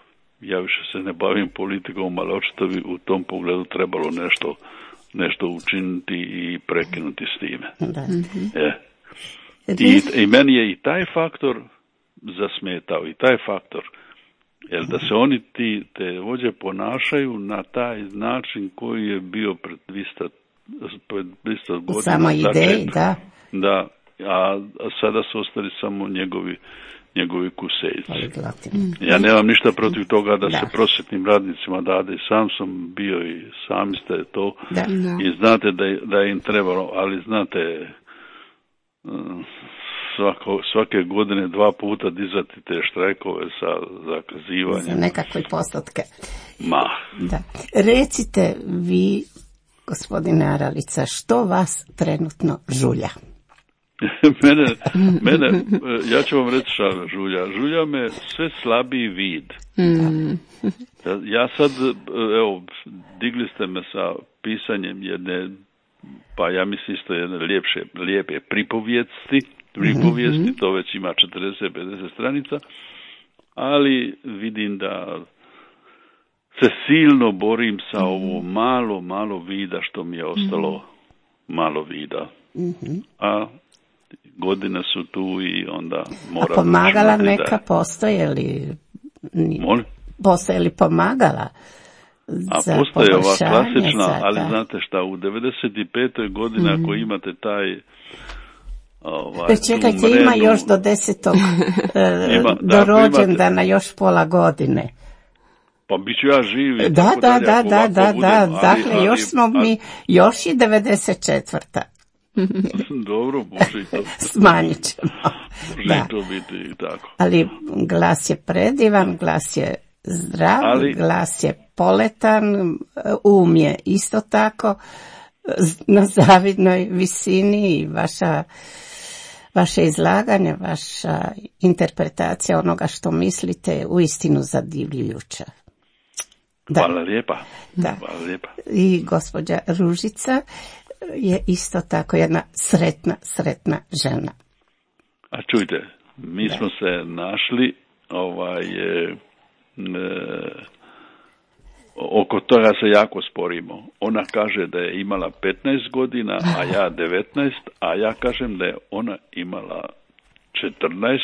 ja više se ne bavim politikom, ali očito bi u tom pogledu trebalo nešto učiniti i prekinuti s time. I meni je i taj faktor zasmetao, i taj faktor, jer da se oni te vođe ponašaju na taj način koji je bio pred 200 godina. Samo ideji, da. Da, a sada su ostali samo njegovi kusejci. Ja nemam ništa protiv toga da se prosvjetnim radnicima dade, sam sam bio i sami ste to i znate da je im trebalo, ali znate, svake godine 2 puta dizati te štrajkove sa zakazivanjem. Za nekakve postotke. Da. Recite vi, gospodine Aralica, što vas trenutno žulja? Mene, ja ću vam reći šta žulja me sve slabiji vid. Ja sad, evo, digli ste me sa pisanjem jedne, pa ja mislim isto jedne lijepe pripovijesti, to već ima 40-50 stranica, ali vidim da se silno borim sa ovo malo vida što mi je ostalo, malo vida. A godine su tu i onda moram... A pomagala neka postoje li? Postoje li pomagala? A postoje ova klasična, ali znate šta, u 95. godini ako imate taj čekajte, ima još do 10. do rođendana još pola godine. Pa bit ću ja živi. Da. Dakle, još smo mi, još je 94. Dobro, može i to. Smanjit ćemo. Može to biti i tako. Ali glas je predivan, glas je zdrav, glas je poletan, je isto tako na zavidnoj visini i vaše izlaganje, vaša interpretacija onoga što mislite uistinu zadivljujuća. Da. Hvala lijepa. Da. Hvala lijepa. I gospođa Ružica je isto tako jedna sretna žena. A čujte, mi smo se našli oko toga se jako sporimo. Ona kaže da je imala 15 godina, a ja 19, a ja kažem da je ona imala 14,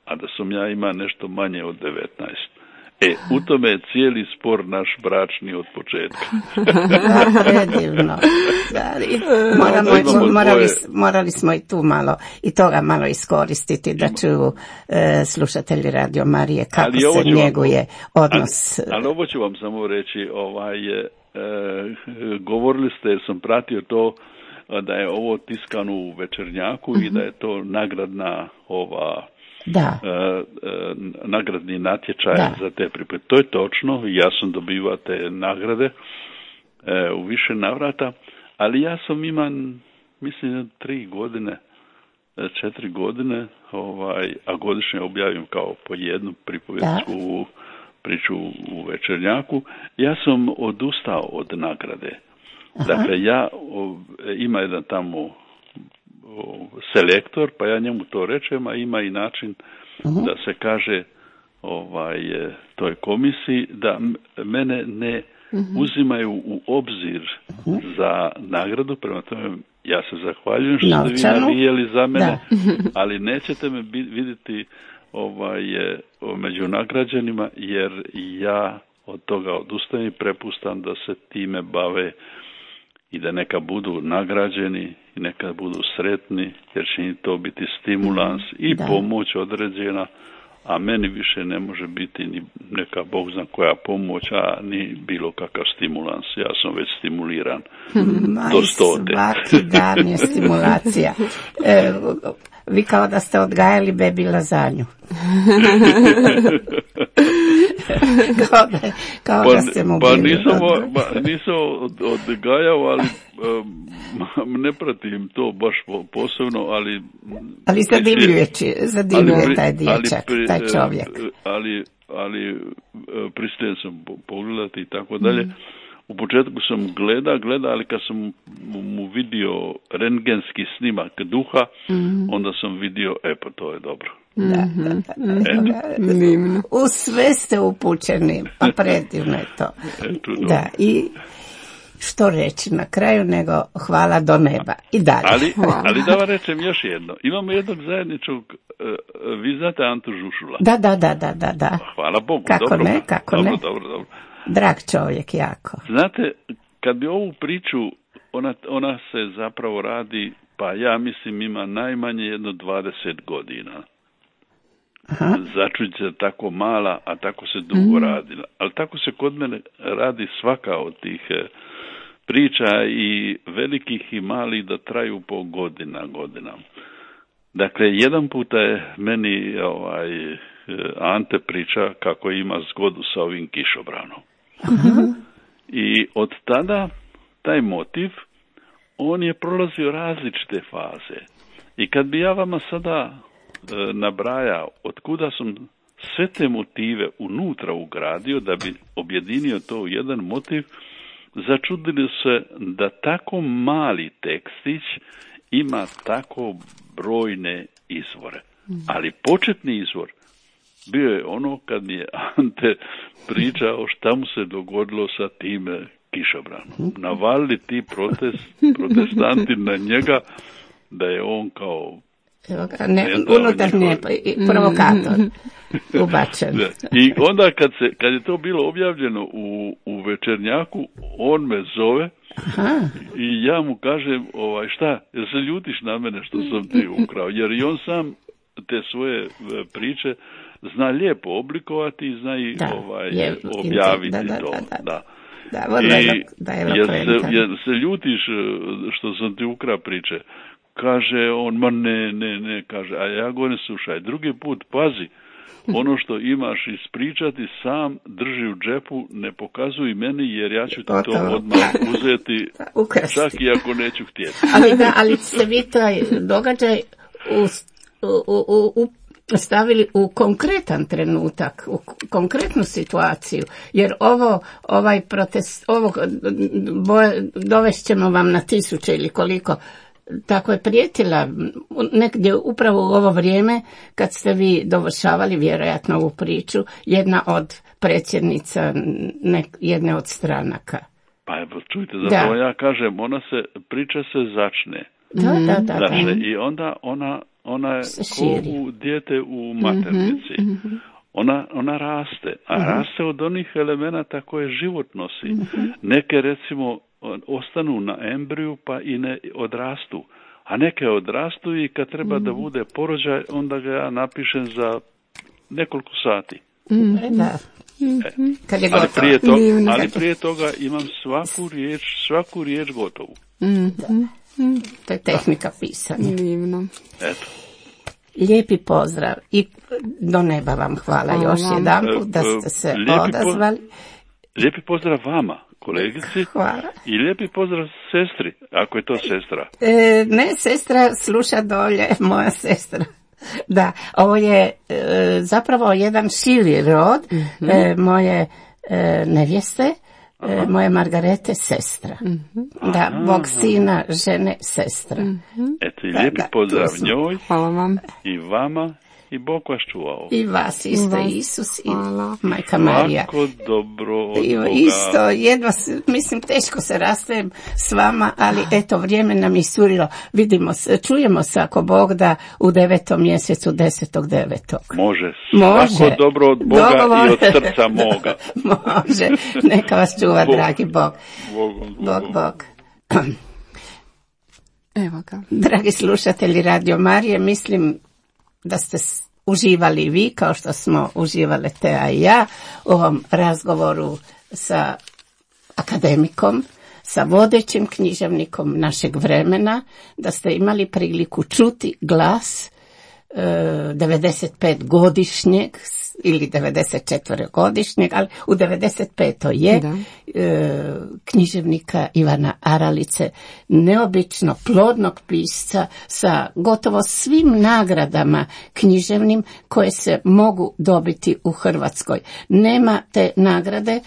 a da sam ja imao nešto manje od 19. U tome je cijeli spor naš bračni od početka. Predivno. Morali smo i tu malo, i toga malo iskoristiti da čuju slušatelji Radio Marije kako se njeguje odnos. Ali ovo ću vam samo reći, govorili ste, jer sam pratio to, da je ovo tiskano u Večernjaku i da je to nagradna nagradni natječaj za te pripreme. To je točno, ja sam dobivao te nagrade u više navrata, ali ja sam imam, mislim, 4 godine, a godišnje objavim kao po jednu pripovjedsku priču u Večernjaku. Ja sam odustao od nagrade. Dakle, ima jedan tamo selektor, pa ja njemu to rečem, a ima i način da se kaže toj komisiji da mene ne uzimaju u obzir za nagradu, prema tome ja se zahvaljujem što ste vi navijeli za mene, ali nećete me vidjeti među nagrađenima, jer ja od toga odustajem i prepustam da se time bave i da neka budu nagrađeni i neka budu sretni, jer će im to biti stimulans i pomoć određena, a meni više ne može biti ni neka Bog zna koja pomoć, a ni bilo kakav stimulans. Ja sam već stimuliran do 100. Svaki dan je stimulacija. Vi kao da ste odgajali bebi lazanju. kao da ste mu bili. Nisam odgajao, ali ne pratim to baš posebno, ali zadivljuje taj dječak, taj čovjek. Ali pristajem sam pogledati i tako dalje. U početku sam gleda, ali kad sam mu vidio rentgenski snimak duha, onda sam vidio, pa to je dobro. Da. U sve ste upućeni, a predivno je to. Da, i što reći na kraju nego hvala do neba. I dalje. Ali da vam rečem još jedno. Imamo jednog zajedničkog, vi znate Antu Žušula? Da. Hvala Bogu. Kako ne. Dobro. Drag čovjek jako. Znate, kad bi ovu priču, ona se zapravo radi, pa ja mislim ima najmanje jedno 20 godina. Začuđica tako mala, a tako se dugo radila. Ali tako se kod mene radi svaka od tih priča, i velikih i malih, da traju po godina. Dakle, jedan puta je meni Ante priča kako ima zgodu sa ovim kišobranom. I od tada taj motiv, on je prolazio različite faze. I kad bi ja vama sada nabrajao od kuda sam sve te motive unutra ugradio da bi objedinio to u jedan motiv, začudili se da tako mali tekstić ima tako brojne izvore. Ali početni izvor bio je ono kad mi je Ante pričao šta mu se dogodilo sa tim kišobranom. Navalili ti protestanti na njega da je on kao unutarnje provokator ubačen. I onda kad je to bilo objavljeno u Večernjaku, on me zove. I ja mu kažem, šta, jer se ljutiš na mene što sam ti ukrao, jer i on sam te svoje priče zna lijepo oblikovati i zna i objaviti to. Da, jer se ljutiš što sam ti ukra priče. Kaže on, ma ne, kaže, a ja govorim, slušaj, drugi put pazi, ono što imaš ispričati sam drži u džepu, ne pokazuj meni, jer ja ću ti to odmah uzeti, čak i ako neću htjeti. Ali ste vi taj događaj stavili u konkretan trenutak, u konkretnu situaciju, jer ovaj protest, dovešćemo vam na 1000 ili koliko, tako je prijetila negdje upravo u ovo vrijeme kad ste vi dovršavali vjerojatno ovu priču, jedna od predsjednica jedne od stranaka. Pa evo, čujte, zato ja kažem, priča se začne. Da. I onda ona je ko u dijete u maternici. Ona raste, a raste od onih elemenata koje život nosi. Neke, recimo, ostanu na embriju pa i ne odrastu, a neke odrastu i kad treba da bude porođaj, onda ga ja napišem za nekoliko sati. Ali prije toga imam svaku riječ gotovu. To je tehnika pisanja. Divno. Eto. Lijepi pozdrav i do neba vam hvala još jedanput da ste se odazvali. Lijepi pozdrav vama, kolegici. Hvala. I lijepi pozdrav sestri, ako je to sestra. Ne, sestra sluša dolje, moja sestra. Da, ovo je zapravo jedan širi rod moje nevjeste, moje Margarete sestra. Da, Bog sina, žene, sestra. Eto, i lijepi pozdrav njoj. Hvala vam. I vama. I Bog vas čuvao. I vas isto, Isus i Majka Marija. Svako dobro od Boga. Isto, jedva, mislim, teško se rastajem s vama, ali eto, vrijeme nam iscurilo. Vidimo se, čujemo se ako Bog da u 9. mjesecu 10.9. Može. Svako dobro od Boga i od srca moga. Može. Neka vas čuva, dragi Bog. Bog. Evo ga. Dragi slušatelji Radio Marije, mislim da ste uživali vi, kao što smo uživale Tea i ja, u ovom razgovoru sa akademikom, sa vodećim književnikom našeg vremena, da ste imali priliku čuti glas 95-godišnjeg ili 94-godišnjeg, ali u 95. je književnika Ivana Aralice, neobično plodnog pisca sa gotovo svim nagradama književnim koje se mogu dobiti u Hrvatskoj. Nema te nagrade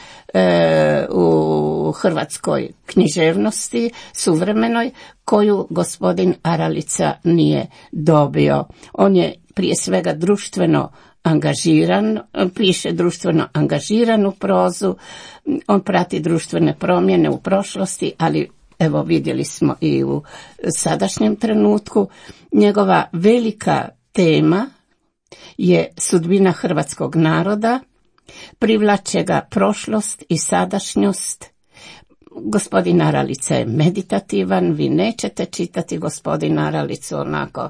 u hrvatskoj književnosti suvremenoj koju gospodin Aralica nije dobio. On je prije svega društveno angažiran, piše društveno angažiranu prozu, on prati društvene promjene u prošlosti, ali evo vidjeli smo i u sadašnjem trenutku. Njegova velika tema je sudbina hrvatskog naroda, privlače ga prošlost i sadašnjost. Gospodin Aralica je meditativan, vi nećete čitati gospodina Aralicu onako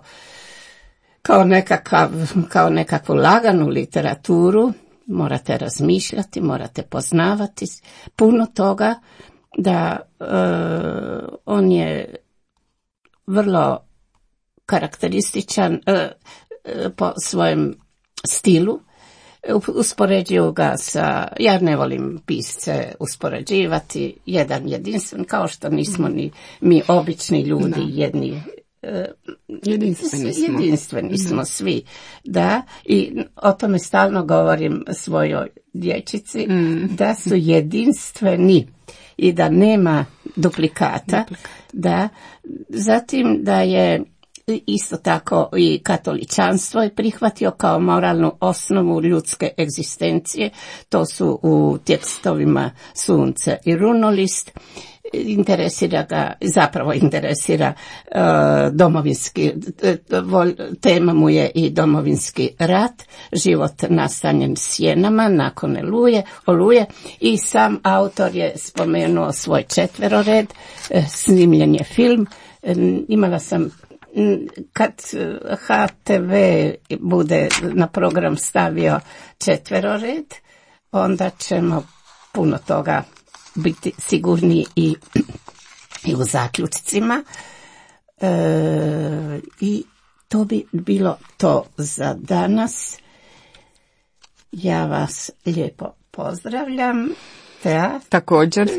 kao nekakvu laganu literaturu, morate razmišljati, morate poznavati puno toga, da on je vrlo karakterističan po svojem stilu. Uspoređuju ga sa, ja ne volim pisce uspoređivati, jedan jedinstven, kao što nismo ni mi obični ljudi jedni. Jedinstveni smo svi, da, i o tome stalno govorim svojoj dječici, da su jedinstveni i da nema duplikata, da, zatim da je isto tako i katoličanstvo je prihvatio kao moralnu osnovu ljudske egzistencije, to su u tekstovima Sunce i Runolist. Interesira domovinski, tema mu je i domovinski rat, život nastanjen sjenama nakon oluje, i sam autor je spomenuo svoj 4. red, snimljen je film. Imala sam kad HTV bude na program stavio četverored, onda ćemo puno toga biti sigurni i u zaključcima. I to bi bilo to za danas. Ja vas lijepo pozdravljam. Također,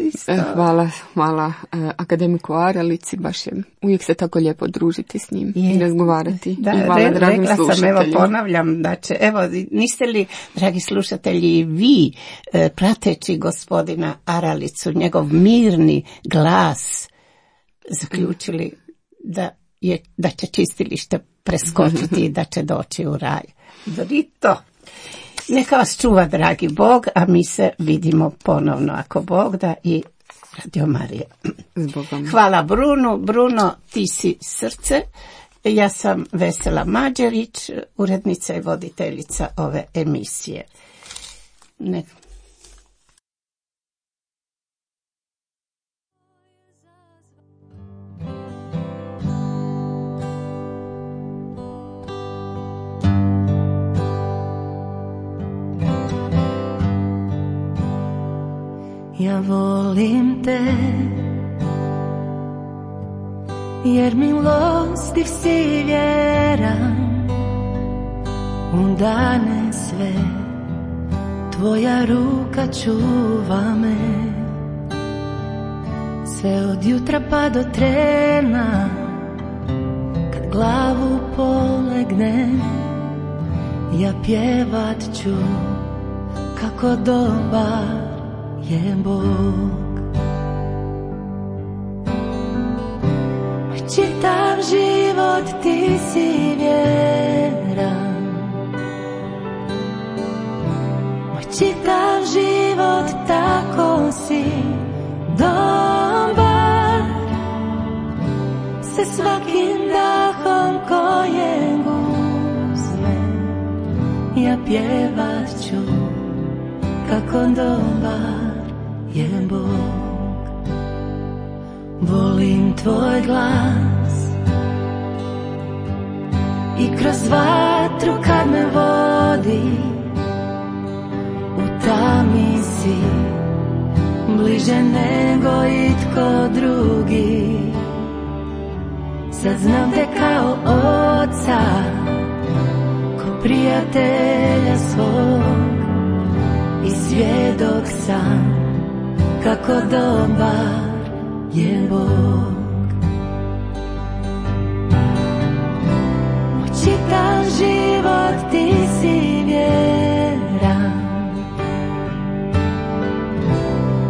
hvala akademiku Aralici, baš je uvijek se tako lijepo družiti s njim i razgovarati. Da, i hvala dragim slušateljima. Evo ponavljam da će, evo, niste li, dragi slušatelji, vi prateći gospodina Aralicu, njegov mirni glas, zaključili da će čistilište preskočiti i da će doći u raj. Drito! Neka vas čuva, dragi Bog, a mi se vidimo ponovno, ako Bog da, i Radio Marija. Hvala Bruno. Bruno, ti si srce. Ja sam Vesela Mađerić, urednica i voditeljica ove emisije. Ja volim te, jer milostiv si vjeran, u dane sve, tvoja ruka čuva me, sve od jutra pa do trena, kad glavu polegnem, ja pjevat ću kako dobar je Bog. Moj čitav život ti si vjeran, moj čitav život tako si dobar, se svakim dahom kojeg uzmem, ja pjevat ću kako dobar je Bog. Volim tvoj glas i kroz vatru kad me vodi, u tami si bliže nego itko drugi. Sad znam te kao oca, ko prijatelja svog, i svjedok sam kako dobar je Bog. Moj čitav život ti si vjeran,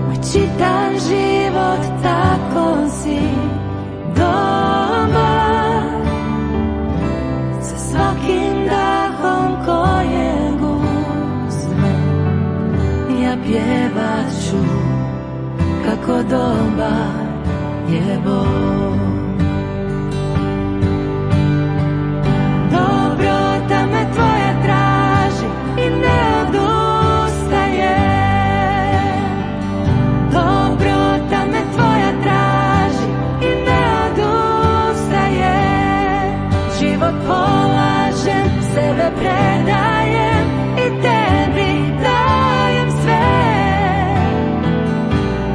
moj čitav život tako si dobar, sa svakim dahom kojeg uzmem, ja pjevat ću kako dobar je Bog. Dobrota me tvoja traži i ne odustaje, dobrota me tvoja traži i ne odustaje, život polažem, sebe predajem i tebi dajem sve.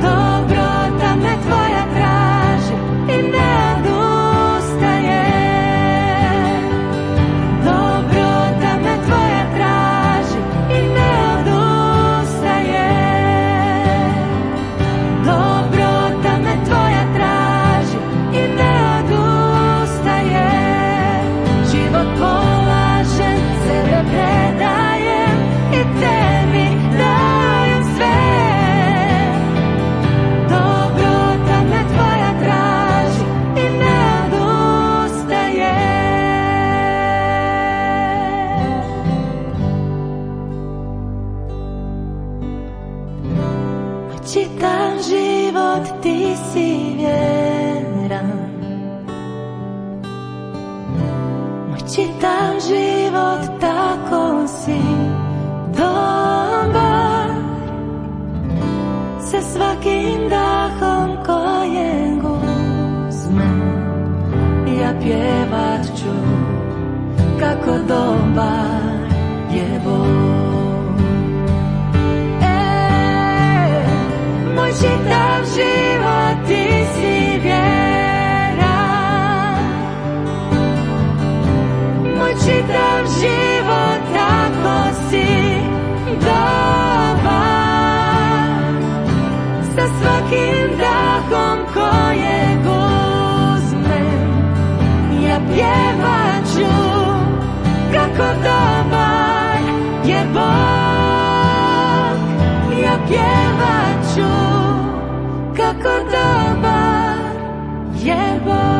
Dobrota me tvoja traži i pjevat ću kako dobar je Bog. Moj čitav život ti si vjeran, moj čitav život tako si dobar, sa svakim dahom kojeg uzmem, ja pjevat ću kako dobar je Bog, ja pjevat ću kako dobar je Bog.